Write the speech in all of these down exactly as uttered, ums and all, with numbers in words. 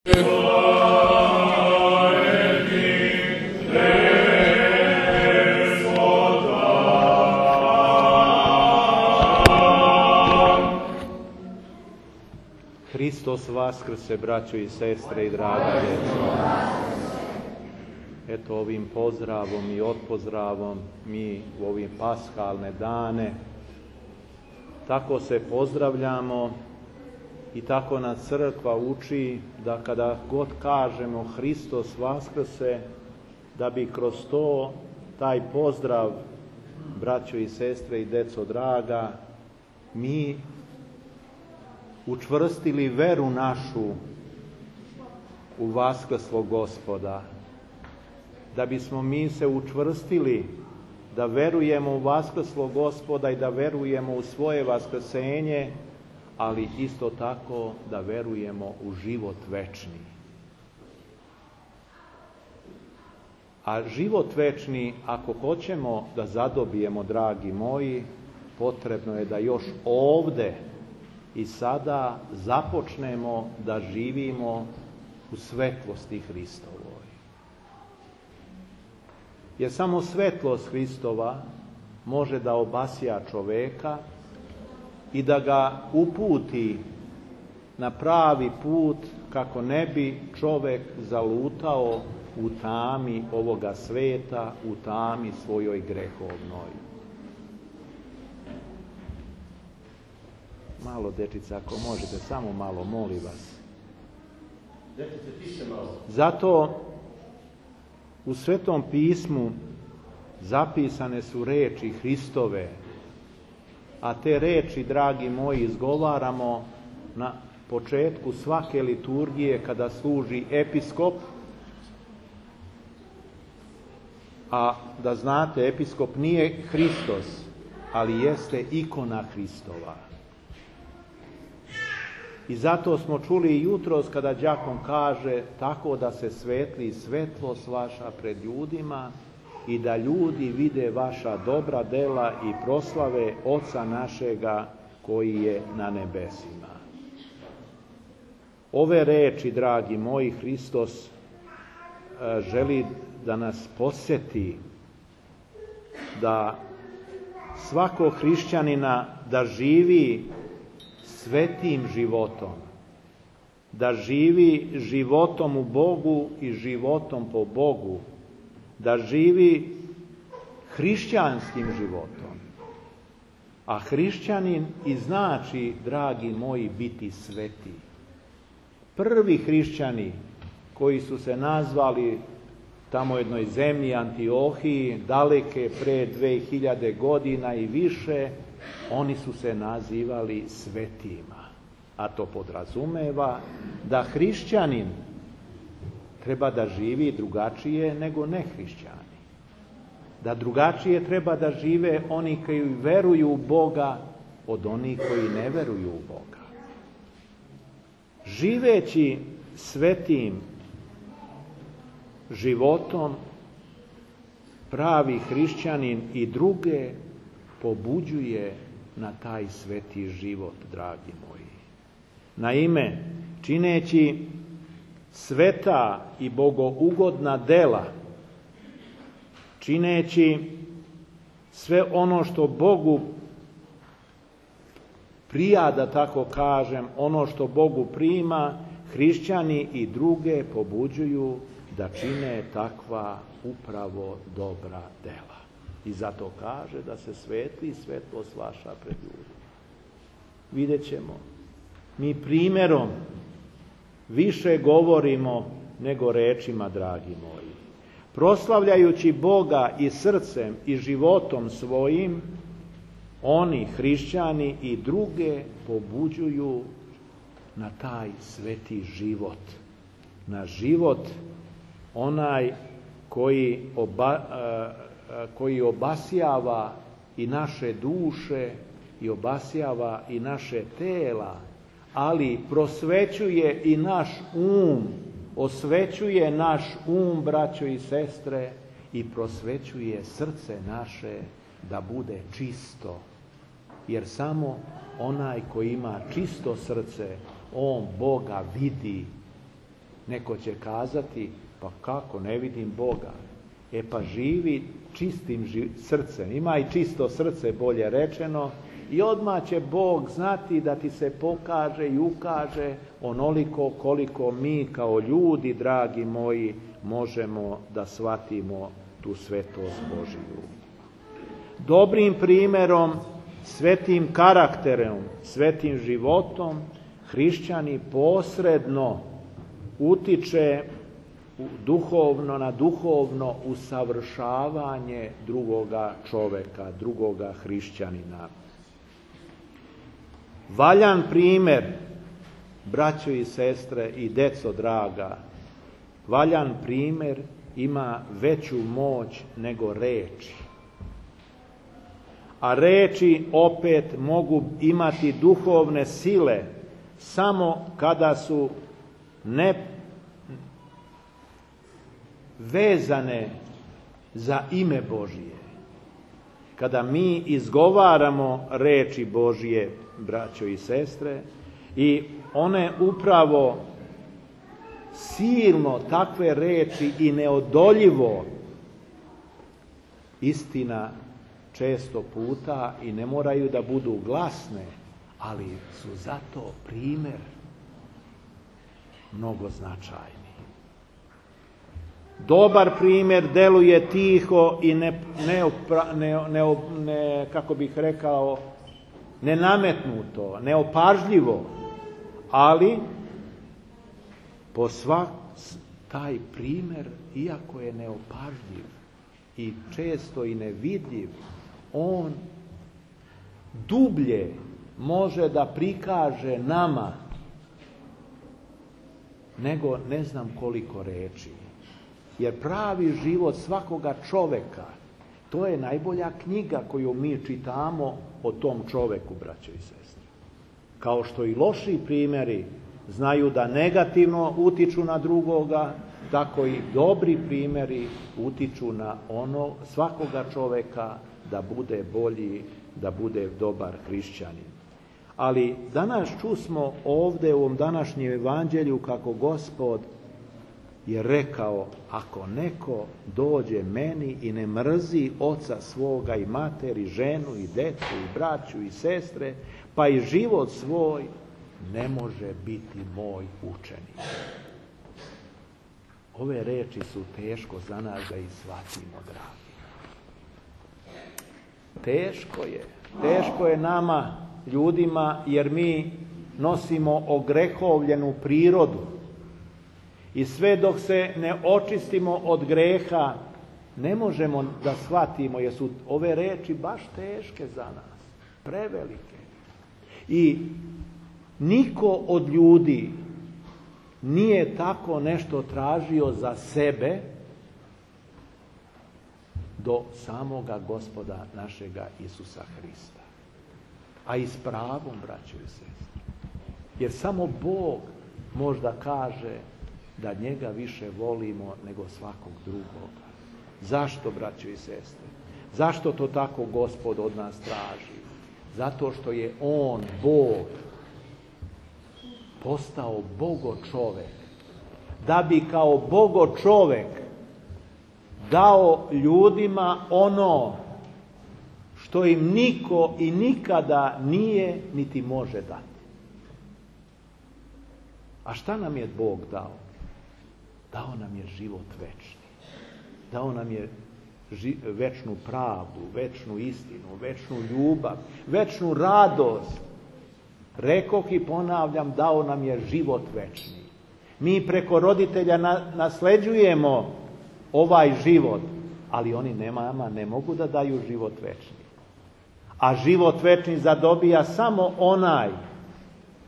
Hristos vaskrse, braćo i sestre i draga djeco. Eto, ovim pozdravom i odpozdravom mi u ovim paskalne dane tako se pozdravljamo i tako nas crkva uči da kada god kažemo Hristos vaskrse, da bi kroz to taj pozdrav, braćo i sestre i deco draga, mi učvrstili veru našu u vaskrslog Gospoda, da bismo mi se učvrstili da verujemo u vaskrslog Gospoda i da verujemo u svoje vaskrsenje, ali isto tako da verujemo u život večni. A život večni, ako hoćemo da zadobijemo, dragi moji, potrebno je da još ovde i sada započnemo da živimo u svetlosti Hristovoj. Jer samo svetlost Hristova može da obasja čoveka i da ga uputi na pravi put kako ne bi čovek zalutao u tami ovoga sveta, u tami svojoj grehovnoj. Malo, dečica, ako možete, samo malo, molim vas. Dečice, tiše malo. Zato u Svetom pismu zapisane su reči Hristove, a te reči, dragi moji, izgovaramo na početku svake liturgije kada služi episkop. A da znate, episkop nije Hristos, ali jeste ikona Hristova. I zato smo čuli i jutros kada đakon kaže tako da se svetli svetlost vaša pred ljudima i da ljudi vide vaša dobra dela i proslave Oca našega koji je na nebesima. Ove reči, dragi moji, Hristos želi da nas podsjeti da svako hrišćanina da živi svetim životom, da živi životom u Bogu i životom po Bogu, da živi hrišćanskim životom. A hrišćanin i znači, dragi moji, biti sveti. Prvi hrišćani koji su se nazvali tamo jednoj zemlji Antiohiji, daleke pre dve hiljade godina i više, oni su se nazivali svetima. A to podrazumeva da hrišćanin treba da živi drugačije nego nehrišćani. Da drugačije treba da žive oni koji veruju u Boga od onih koji ne veruju u Boga. Živeći svetim životom, pravi hrišćanin i druge pobuđuje na taj sveti život, dragi moji. Naime, čineći sveta i bogougodna dela, čineći sve ono što Bogu prija, da tako kažem, ono što Bogu prima, hrišćani i druge pobuđuju da čine takva upravo dobra dela. I zato kaže da se svetli svetlost vaša pred ljudima. Vidjet ćemo. Mi primjerom više govorimo nego rečima, dragi moji. Proslavljajući Boga i srcem i životom svojim, oni, hrišćani i druge, pobuđuju na taj sveti život. Na život onaj koji, oba, koji obasjava i naše duše i obasjava i naše tela, ali prosvećuje i naš um, osvećuje naš um, braćo i sestre, i prosvećuje srce naše da bude čisto. Jer samo onaj koji ima čisto srce, on Boga vidi Neko će kazati, pa kako, ne vidim Boga. E pa živi čistim ži- srcem, ima i čisto srce, bolje rečeno, i odmah će Bog znati da ti se pokaže i ukaže onoliko koliko mi kao ljudi, dragi moji, možemo da shvatimo tu svetost Božiju. Dobrim primjerom, svetim karakterom, svetim životom, hrišćani posredno utiče duhovno na duhovno usavršavanje drugoga čoveka, drugoga hrišćanina. Valjan primjer, braćo i sestre i deco draga, valjan primjer ima veću moć nego reči. A reči opet mogu imati duhovne sile samo kada su ne vezane za ime Božije. Kada mi izgovaramo reči Božije, braćo i sestre, i one upravo silno takve reči i neodoljivo, istina često puta i ne moraju da budu glasne, ali su zato primjer mnogo značajni. Dobar primjer deluje tiho i ne, ne, ne, ne, ne kako bih rekao, nenametnuto, neopažljivo, ali po svak taj primjer, iako je neopažljiv i često i nevidljiv, on dublje može da prikaže nama nego ne znam koliko reči. Jer pravi život svakoga čoveka, to je najbolja knjiga koju mi čitamo o tom čoveku, braćo i sestre. Kao što i loši primjeri znaju da negativno utiču na drugoga, tako i dobri primjeri utiču na ono svakoga čoveka da bude bolji, da bude dobar hrišćanin. Ali danas čusmo ovdje u ovom današnjem evanđelju kako Gospod je rekao, ako neko dođe meni i ne mrzi oca svoga i materi, ženu i decu i braću i sestre, pa i život svoj, ne može biti moj učenik. Ove reči su teško za nas da ih shvatimo, dragi. Teško je. Teško je nama, ljudima, jer mi nosimo ogrehovljenu prirodu. I sve dok se ne očistimo od greha, ne možemo da shvatimo, jer su ove reči baš teške za nas, prevelike. I niko od ljudi nije tako nešto tražio za sebe do samoga Gospoda našega Isusa Hrista. A i s pravom, braćo i sestre. Jer samo Bog možda kaže da njega više volimo nego svakog drugoga. Zašto, braćo i sestre? Zašto to tako Gospod od nas traži? Zato što je On, Bog, postao Bogo čovek, da bi kao Bogo čovek dao ljudima ono što im niko i nikada nije niti može dati. A šta nam je Bog dao? Dao nam je život večni. Dao nam je ži- večnu pravdu, večnu istinu, večnu ljubav, večnu radost. Rekoh i ponavljam, dao nam je život večni. Mi preko roditelja na, nasleđujemo ovaj život, ali oni nama ne mogu da daju život večni. A život večni zadobija samo onaj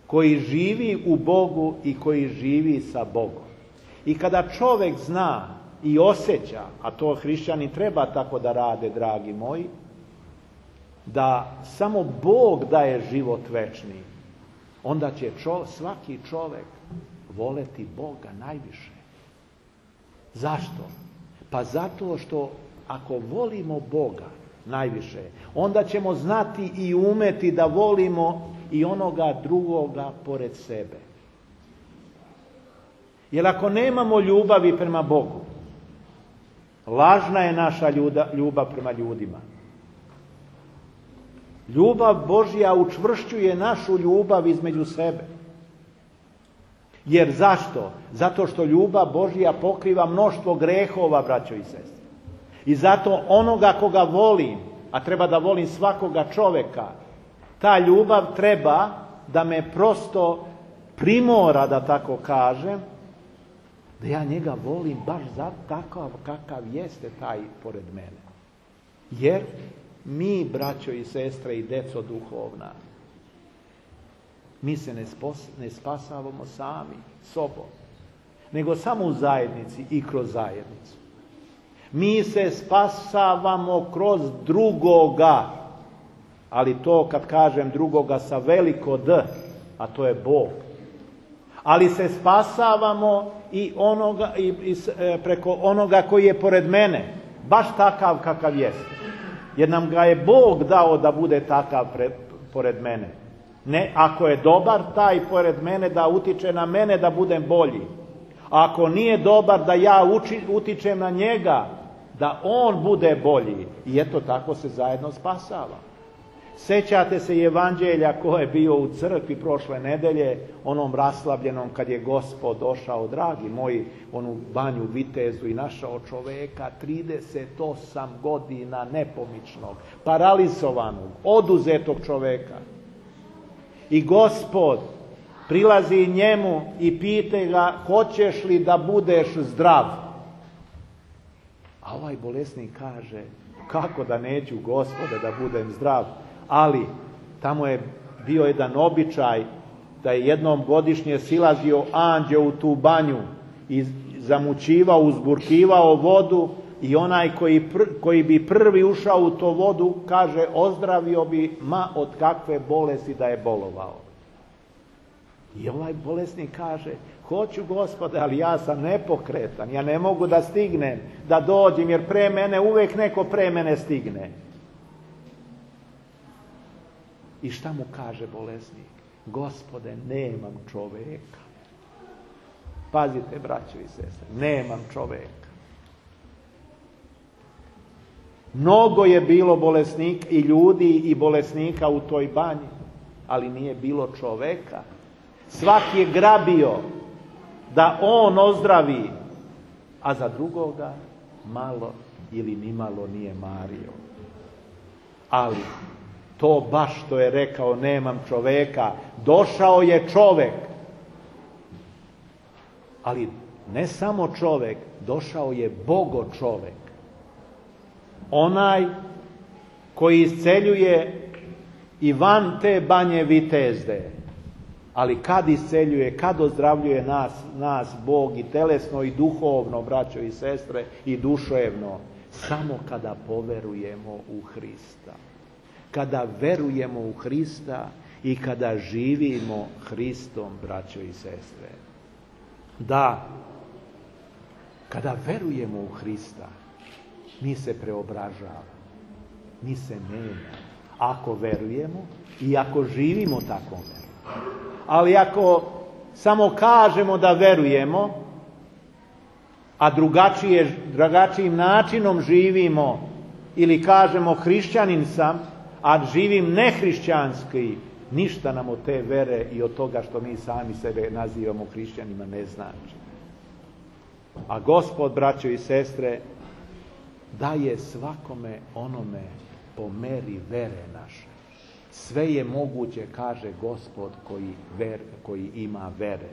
koji živi u Bogu i koji živi sa Bogom. I kada čovjek zna i osjeća, a to hrišćani treba tako da rade, dragi moji, da samo Bog daje život večni, onda će čo, svaki čovjek voleti Boga najviše. Zašto? Pa zato što ako volimo Boga najviše, onda ćemo znati i umeti da volimo i onoga drugoga pored sebe. Jer ako nemamo ljubavi prema Bogu, lažna je naša ljubav prema ljudima. Ljubav Božja učvršćuje našu ljubav između sebe. Jer zašto? Zato što ljubav Božja pokriva mnoštvo grehova, braćo i sestre. I zato onoga koga volim, a treba da volim svakoga čoveka, ta ljubav treba da me prosto primora, da tako kažem, da ja njega volim baš za takav kakav jeste taj pored mene. Jer mi, braćo i sestre i deco duhovna, mi se ne, spos, ne spasavamo sami, sobom, nego samo u zajednici i kroz zajednicu. Mi se spasavamo kroz drugoga, ali to kad kažem drugoga sa veliko D, a to je Bog. Ali se spasavamo i, onoga, i, i preko onoga koji je pored mene, baš takav kakav jeste. Jer nam ga je Bog dao da bude takav pred, pored mene. Ne, ako je dobar, taj pored mene da utiče na mene da budem bolji. A ako nije dobar, da ja uči, utičem na njega, da on bude bolji. I eto, tako se zajedno spasava. Sećate se evanđelja ko je bio u crkvi prošle nedelje, onom raslabljenom kad je Gospod došao, dragi moji, onu banju Vitezu i našao čoveka trideset osam godina nepomičnog, paralizovanog, oduzetog čoveka. I Gospod prilazi njemu i pita ga, hoćeš li da budeš zdrav? A ovaj bolesnik kaže, kako da neću, Gospode, da budem zdrav? Ali tamo je bio jedan običaj da je jednom godišnje silazio anđeo u tu banju i zamućivao, uzburkivao vodu i onaj koji, pr, koji bi prvi ušao u to vodu, kaže, ozdravio bi ma od kakve bolesti da je bolovao. I ovaj bolesnik kaže, hoću, Gospode, ali ja sam nepokretan, ja ne mogu da stignem, da dođem, jer pre mene, uvek neko pre mene stigne. I šta mu kaže bolesnik? Gospode, nemam čoveka. Pazite, braćo i sestre, nemam čoveka. Mnogo je bilo bolesnik i ljudi i bolesnika u toj banji, ali nije bilo čoveka. Svaki je grabio da on ozdravi, a za drugoga malo ili nimalo nije mario. Ali to baš što je rekao, nemam čoveka, došao je čovek. Ali ne samo čovek, došao je Bogo čovek. Onaj koji isceljuje i van te banje Vitezde. Ali kad isceljuje, kad ozdravljuje nas, nas Bog i telesno i duhovno, braćo i sestre, i duševno, samo kada poverujemo u Hrista. Kada verujemo u Hrista i kada živimo Hristom, braćo i sestre. Da, kada verujemo u Hrista, mi se preobražavamo, mi se menjamo. Ako verujemo i ako živimo tako veru. Ali ako samo kažemo da verujemo, a drugačije, drugačijim načinom živimo, ili kažemo hrišćanin sam, a živim nehrišćanski, ništa nam od te vere i od toga što mi sami sebe nazivamo hrišćanima ne znači. A Gospod, braćo i sestre, daje svakome onome po meri vere naše. Sve je moguće, kaže Gospod koji, ver, koji ima vere.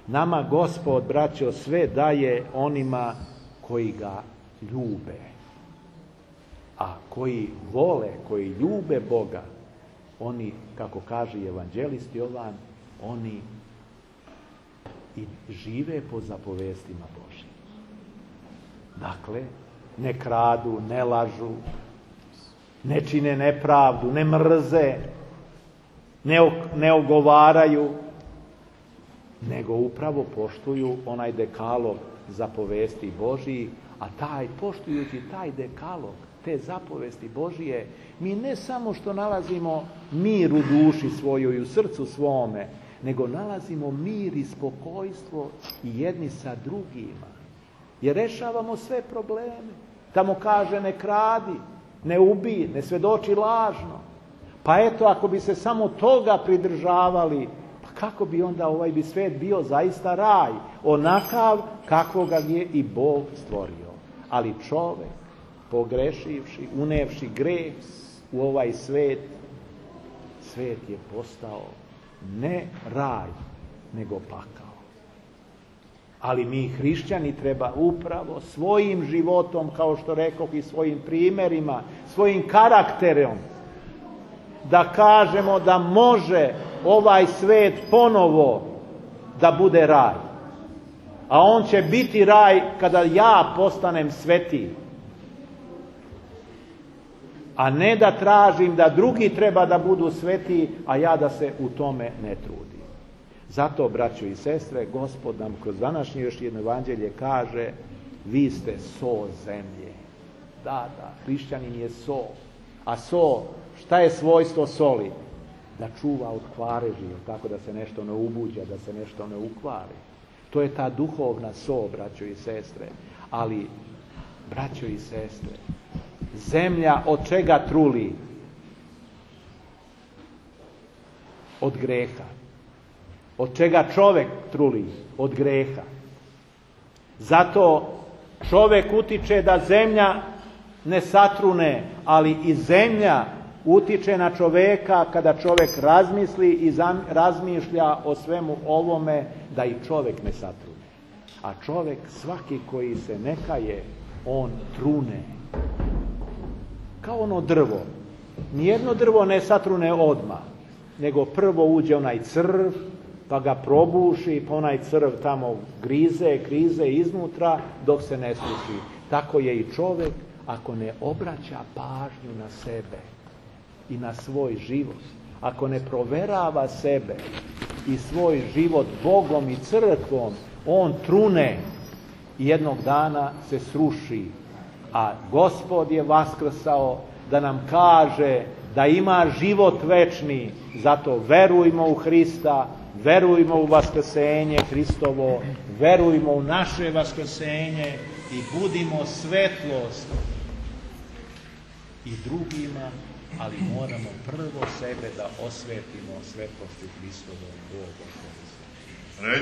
Nama Gospod, braćo, sve daje onima koji ga ljube. A koji vole, koji ljube Boga, oni, kako kaže evanđelist Jovan, oni i žive po zapovestima Božjim. Dakle, ne kradu, ne lažu, ne čine nepravdu, ne mrze, ne, ne ogovaraju, nego upravo poštuju onaj dekalog zapovesti Božji, a taj, poštujući taj dekalog, te zapovesti Božije, mi ne samo što nalazimo mir u duši svojoj i u srcu svome, nego nalazimo mir i spokojstvo i jedni sa drugima. Jer rešavamo sve probleme. Tamo kaže ne kradi, ne ubij, ne svedoči lažno. Pa eto, ako bi se samo toga pridržavali, pa kako bi onda ovaj bi svet bio zaista raj, onakav kakvog ga je i Bog stvorio. Ali čovek, pogrešivši, unevši greh u ovaj svet, svet je postao ne raj, nego pakao. Ali mi hrišćani treba upravo svojim životom, kao što rekoh, i svojim primjerima, svojim karakterom, da kažemo da može ovaj svet ponovo da bude raj. A on će biti raj kada ja postanem svetiji. A ne da tražim da drugi treba da budu svetiji, a ja da se u tome ne trudim. Zato, braćo i sestre, Gospod nam kroz današnje još jedno evanđelje kaže: vi ste so zemlje. Da, da, hrišćanin je so. A so, šta je svojstvo soli? Da čuva od kvareži, tako da se nešto ne ubuđa, da se nešto ne ukvari. To je ta duhovna so, braćo i sestre. Ali, braćo i sestre, zemlja od čega truli? Od greha. Od čega čovek truli? Od greha. Zato čovek utiče da zemlja ne satrune, ali i zemlja utiče na čoveka kada čovek razmisli i razmišlja o svemu ovome, da i čovek ne satrune. A čovek, svaki koji se ne kaje, on trune. Kao ono drvo. Nijedno drvo ne satrune odmah, nego prvo uđe onaj crv, pa ga probuši, pa onaj crv tamo grize, grize iznutra dok se ne suši. Tako je i čovek ako ne obraća pažnju na sebe i na svoj život, ako ne proverava sebe i svoj život Bogom i crkvom, on trune i jednog dana se sruši. A Gospod je vaskrsao da nam kaže da ima život večni, zato verujmo u Hrista, verujmo u vaskrsenje Hristovo, verujmo u naše vaskrsenje i budimo svetlost i drugima, ali moramo prvo sebe da osvetimo svetlosti Hristovom. Bog